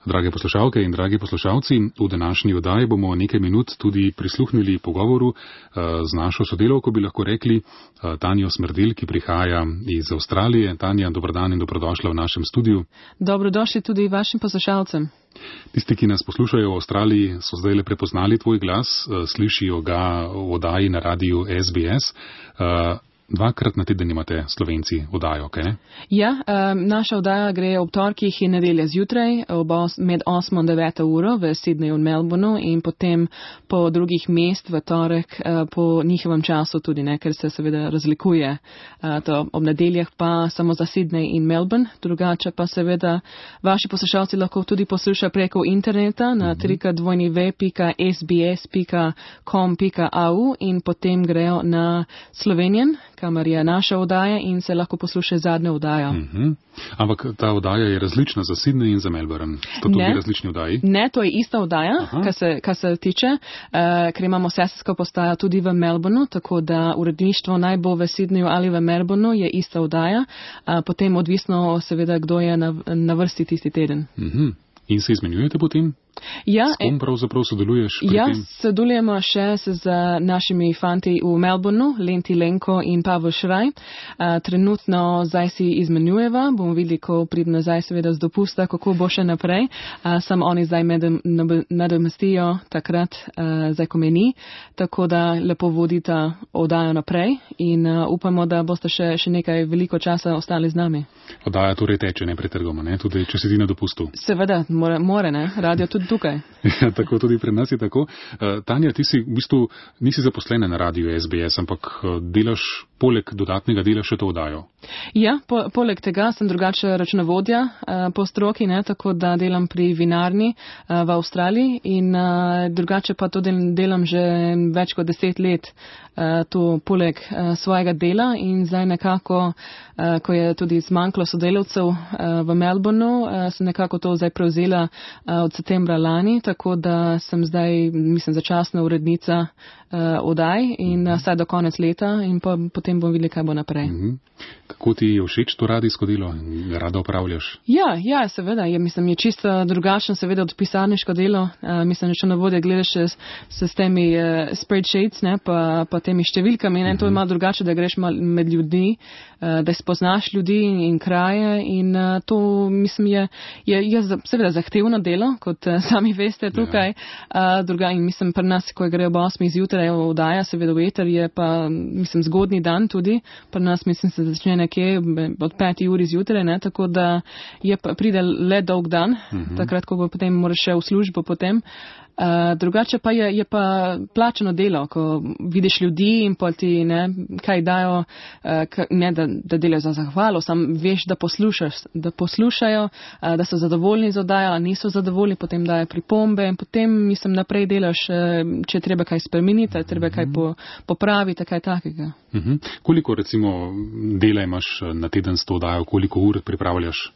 Drage poslušalke in dragi poslušalci, v današnji oddaji bomo nekaj minut tudi prisluhnili pogovoru z našo sodelavko, bi lahko rekli, Tanjo Smrdelj, ki prihaja iz Avstralije. Tanja, dober dan in dobrodošla v našem studiu. Dobrodošli tudi vašim poslušalcem. Tisti, ki nas poslušajo v Avstraliji, so zdaj le prepoznali tvoj glas, slišijo ga v oddaji na radiju SBS. Dvakrat na teden imate Slovenci oddajo, kaj ne? Ja, naša oddaja gre ob torkih in nedelje zjutraj med 8 in 9 uro v Sydneyju in Melbourneu in potem po drugih mest v torek po njihovem času tudi, ne, ker se seveda razlikuje. To ob nedeljah pa samo za Sydney in Melbourne, drugače pa seveda vaši poslušalci lahko tudi poslušajo preko interneta na www.sbs.com.au in potem grejo na Slovenian, kamor je naša oddaja in se lahko posluša zadnja oddaja. Ampak ta oddaja je različna za Sydney in za Melbourne. To tudi različni oddaji? Ne, to je ista oddaja, kar se tiče, ker imamo sestrsko postajo tudi v Melbourneu, tako da uredništvo naj bo v Sydneyju ali v Melbourneu je ista oddaja, potem odvisno seveda, kdo je na vrsti tisti teden. In se izmenjujete potem? Ja, s kom pravzaprav sodeluješ pri tem? Sodelujemo še z našimi fanti v Melbourneu, Lenti Lenko in Pavel Šraj. Trenutno zdaj si izmenjujeva, bomo videli, ko pride nazaj seveda z dopusta, kako bo še naprej. Samo oni zdaj nadomestijo takrat, zdaj ko meni, tako da lepo vodita oddajo naprej in upamo, da boste še nekaj veliko časa ostali z nami. Oddaja torej teče nepretrgoma, ne? Tudi če si ti na dopustu. Seveda, more, ne? Radio tudi tukaj. Ja, tako tudi pri nas je tako. Tanja, ti si v bistvu nisi zaposlena na radiju SBS, ampak delaš poleg dodatnega dela še to oddajo. Ja, poleg tega sem drugače računovodja po stroki, ne, tako da delam pri vinarni v Avstraliji in drugače pa to delam že več kot 10 let to poleg svojega dela in zdaj nekako, ko je tudi zmanjkalo sodelavcev v Melbourneu, sem nekako to zdaj prevzela od septembra lani, tako da sem zdaj, mislim, začasna urednica oddaj in vsaj do konec leta in potem bom videli, kaj bo naprej. Kako ti je všeč to radijsko delo in rada opravljaš? Ja, seveda. Mislim, je čisto drugačno seveda od pisarniško delo. Mislim, če na vodje gledaš s temi spreadsheets, ne, pa temi številkami, ne, to je malo drugače, da greš med ljudi, da spoznaš ljudi in kraje in to, mislim, je seveda zahtevno delo, kot sami veste tukaj. In mislim, pri nas, ko gre ob 8 zjutraj oddaja, seveda v eter, je pa, mislim, zgodni dan tudi. Pri nas, mislim, se začne nekje od 5 uri zjutraj, ne, tako da pride le dolg dan, takrat, ko bo potem moraš še v službo potem. Drugače pa je pa plačano delo, ko vidiš ljudi in pa ti kaj dajo, ne da delajo za zahvalo, sam veš, da poslušajo, da so zadovoljni z oddajo, a niso zadovoljni, potem dajo pripombe in potem, mislim, naprej delaš, če treba kaj spremeniti, treba kaj popraviti, kaj takega. Koliko recimo dela imaš na teden s to oddajo, koliko ur pripravljaš?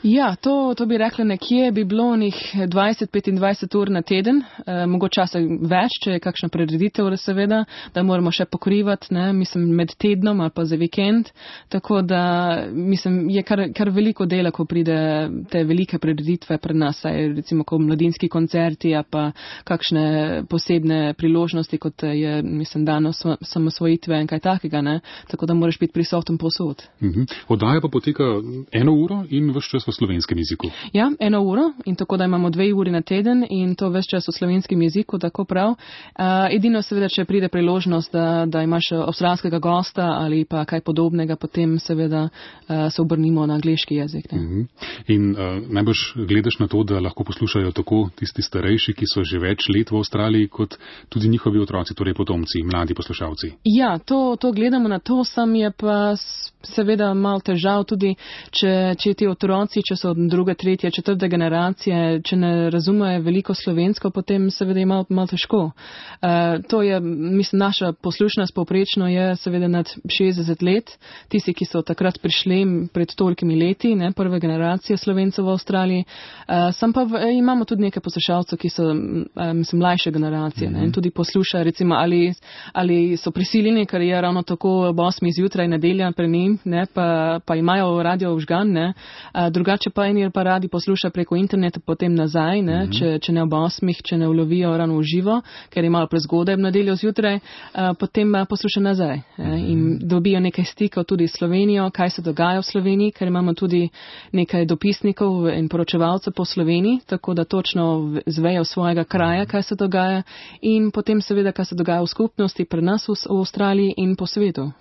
Ja, to bi rekla nekje, bi bilo njih 20-25 ur na teden, mogoče časa več, če je kakšna prireditev, seveda, da moramo še pokrivati, ne, mislim, med tednom ali pa za vikend, tako da, mislim, je kar veliko dela, ko pride te velike prireditve pred nas, recimo, ko mladinski koncerti, a pa kakšne posebne priložnosti, kot je, mislim, dan osamosvojitve in kaj takega, ne, tako da moraš biti prisoten povsod. Oddaja pa poteka 1 uro in ves čas v slovenskem jeziku. Ja, 1 uro in tako da imamo 2 uri na teden in to ves čas v slovenskem jeziku, tako prav. Edino seveda, če pride priložnost, da imaš avstralskega gosta ali pa kaj podobnega, potem seveda se obrnimo na angleški jezik. In najbrž gledaš na to, da lahko poslušajo tako tisti starejši, ki so že več let v Avstraliji, kot tudi njihovi otroci, torej potomci, mladi poslušalci. Ja, to gledamo na to, sam je pa seveda malo težav tudi, če ti otroci, če so 2., 3., 4. generacije, če ne razumejo veliko slovensko, potem seveda je malo težko. To je, mislim, naša poslušnost povprečno je seveda nad 60 let. Tisti, ki so takrat prišli pred tolikimi leti, ne, prve generacije Slovencev v Avstraliji. Sam pa imamo tudi nekaj poslušalcev, ki so, mislim, mlajše generacije, ne, in tudi poslušajo, recimo, ali so prisiljeni, ker je ravno tako ob 8 zjutraj nedelja pre njim, ne, pa imajo radio vžgan, ne, drugače drugače pa eni pa radi poslušajo preko interneta, potem nazaj, ne, če ne ob 8, če ne ulovijo rano v živo, ker je malo prezgodaj v nedeljo zjutraj, potem poslušajo nazaj in dobijo nekaj stikov tudi s Slovenijo, kaj se dogaja v Sloveniji, ker imamo tudi nekaj dopisnikov in poročevalcev po Sloveniji, tako da točno zvejo svojega kraja, kaj se dogaja in potem seveda, kaj se dogaja v skupnosti pri nas v Avstraliji in po svetu.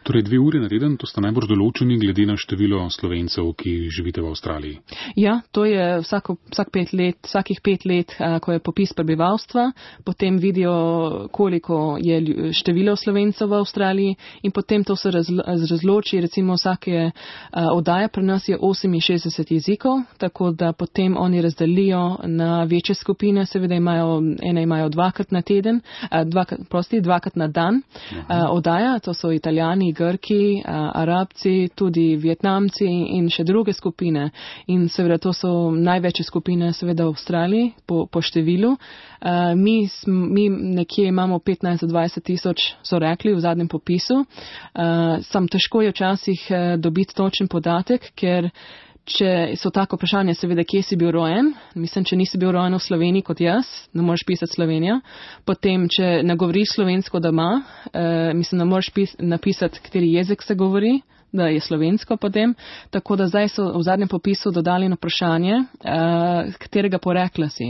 Torej 2 ure na teden, to sta najbolj določeni glede na število Slovencev, ki živite v Avstraliji. Ja, to je vsakih 5 let, ko je popis prebivalstva, potem vidijo, koliko je število Slovencev v Avstraliji in potem to se razloči, recimo vsake oddaje pri nas je 68 jezikov, tako da potem oni razdelijo na večje skupine, seveda imajo dvakrat na teden, dvakrat na dan oddaja, to so Italijani, Grki, Arabci, tudi Vietnamci in še druge skupine. In seveda to so največje skupine seveda v Avstraliji po številu. Mi nekje imamo 15-20 tisoč, so rekli v zadnjem popisu. Sam težko je včasih dobiti točen podatek, ker če so tako vprašanje, seveda, kje si bil rojen, mislim, če nisi bil rojen v Sloveniji kot jaz, ne moreš pisati Slovenija, potem, če ne govoriš slovensko doma, mislim, ne moreš napisati, kateri jezik se govori, da je slovensko potem, tako da zdaj so v zadnjem popisu dodali na vprašanje, katerega porekla si.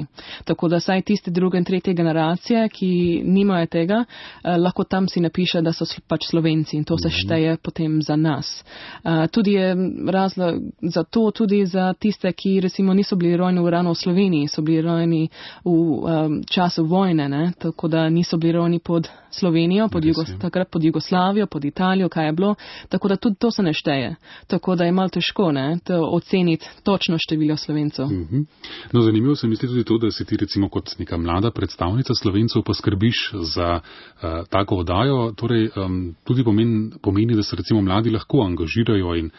Tako da saj tiste druge in tretje generacije, ki nimajo tega, lahko tam si napiše, da so pač Slovenci in to se šteje potem za nas. Tudi je razlog za to, tudi za tiste, ki recimo niso bili rojeni ravno v Sloveniji, so bili rojeni v času vojne, ne? Tako da niso bili rojeni pod Slovenijo, takrat pod Jugoslavijo, pod Italijo, kaj je bilo, tako da tudi to se ne šteje. Tako da je malo težko oceniti točno število Slovencev. No, zanimivo se mi zdi tudi to, da si ti recimo kot neka mlada predstavnica Slovencev poskrbiš za tako oddajo, torej tudi pomeni, da se recimo mladi lahko angažirajo in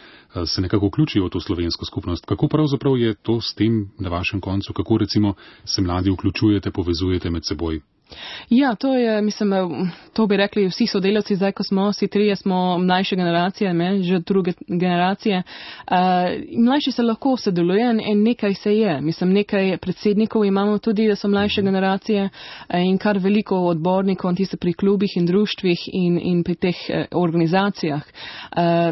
se nekako vključijo v to slovensko skupnost. Kako pravzaprav je to s tem na vašem koncu, kako recimo se mladi vključujete, povezujete med seboj? Ja, to je, mislim, to bi rekli vsi sodelavci, zdaj ko smo, vsi trije smo mlajše generacije, že druge generacije. Mlajši se lahko sodelujejo in nekaj se je. Mislim, nekaj predsednikov imamo tudi, da so mlajše generacije in kar veliko odbornikov, tiste pri klubih in društvih in pri teh organizacijah.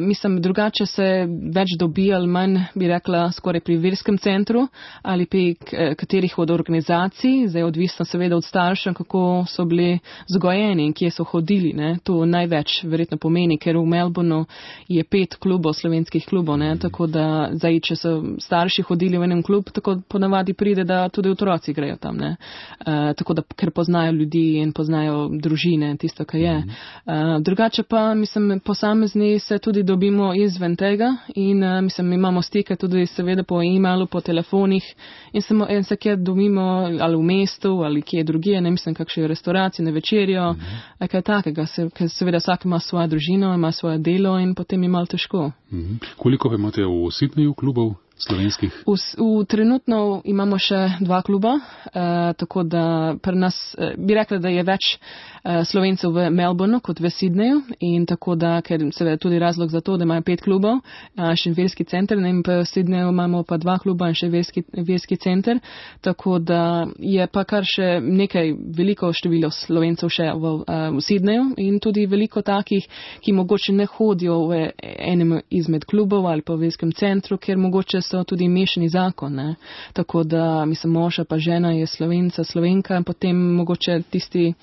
Mislim, drugače se več dobi ali manj, bi rekla, skoraj pri verskem centru ali pri katerih od organizacij, zdaj odvisno seveda od staršev, kako so bili vzgojeni in kje so hodili. Ne. To največ verjetno pomeni, ker v Melbourneu je 5 klubov, slovenskih klubov, ne, tako da zdaj, če so starši hodili v enem klub, tako ponavadi pride, da tudi otroci grejo tam. Ne. Tako da, ker poznajo ljudi in poznajo družine, tisto, kar je. Drugače pa, mislim, posamezni se tudi dobimo izven tega in mislim, imamo stike tudi seveda po e-mailu, po telefonih in se kje dobimo ali v mestu ali kje drugje, ne mislim, kakšne restauracije, na večerjo, kaj takega, ker seveda vsak ima svojo družino, ima svoje delo in potem je malo težko. Koliko pa imate v Sydneyju klubov slovenskih? Trenutno imamo še 2 kluba, tako da pri nas bi rekla, da je več Slovencev v Melbourneu kot v Sydneyju in tako da, ker seveda tudi razlog za to, da imajo 5 klubov, še verski center, in v Sydneyju imamo pa 2 kluba in še verski center, tako da je pa kar še nekaj veliko število Slovencev še v Sydneyju in tudi veliko takih, ki mogoče ne hodijo v enem izmed klubov ali pa v verskem centru, ker mogoče so tudi mešani zakon. Ne. Tako da, mislim, moža pa žena je Slovenka in potem mogoče tisti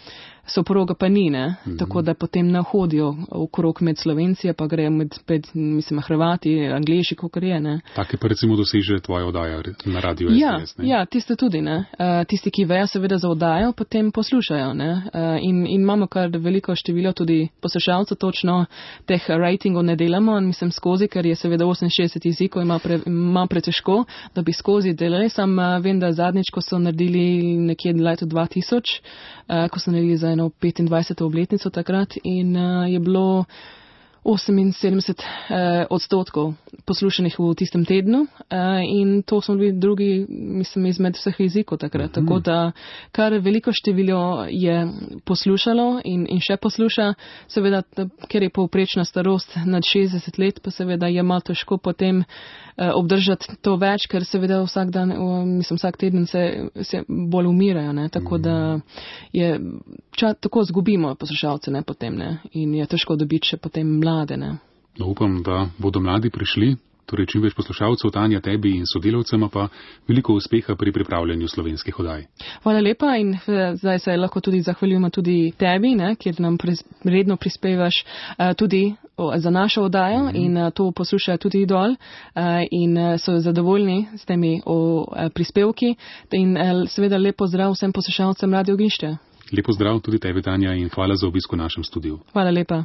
soproga pa ni, ne? Tako da potem ne hodijo okrog med Slovenci, pa grejo med mislim, Hrvati, Angleži, kakor je. Ne? Take pa recimo doseže tvoja oddaja na radiju SBS, ne? Ja, tiste tudi, ne. Tisti, ki vejo seveda za oddajo, potem poslušajo, ne. In imamo kar veliko število tudi poslušalcev, točno teh ratingov ne delamo, mislim skozi, ker je seveda 68 jezikov, ima pretežko, da bi skozi delali, sam vem, da zadnjič, ko so naredili nekje leto 2000, ko so naredili za 25. obletnico takrat in je bilo 78% poslušanih v tistem tednu in to smo bili drugi, mislim, izmed vseh jezikov takrat. Tako da kar veliko število je poslušalo in še posluša, seveda, ker je povprečna starost nad 60 let, pa seveda je malo težko potem obdržati to več, ker seveda vsak dan, mislim, vsak teden se bolj umirajo, ne, tako da tako zgubimo poslušalce, ne, potem, ne, in je težko dobiti še potem mlade, ne. No, upam, da bodo mladi prišli, torej čim več poslušalcev, Tanja, tebi in sodelavcema pa veliko uspeha pri pripravljanju slovenskih oddaj. Hvala lepa in zdaj se lahko tudi zahvaljujemo tudi tebi, ne, kjer nam redno prispevaš tudi za našo oddajo in to poslušajo tudi dol in so zadovoljni s temi prispevki in seveda lep pozdrav vsem poslušalcem Radio Ognjišče. Lep pozdrav tudi tebi, Tanja, in hvala za obisk v našem studiu. Hvala lepa.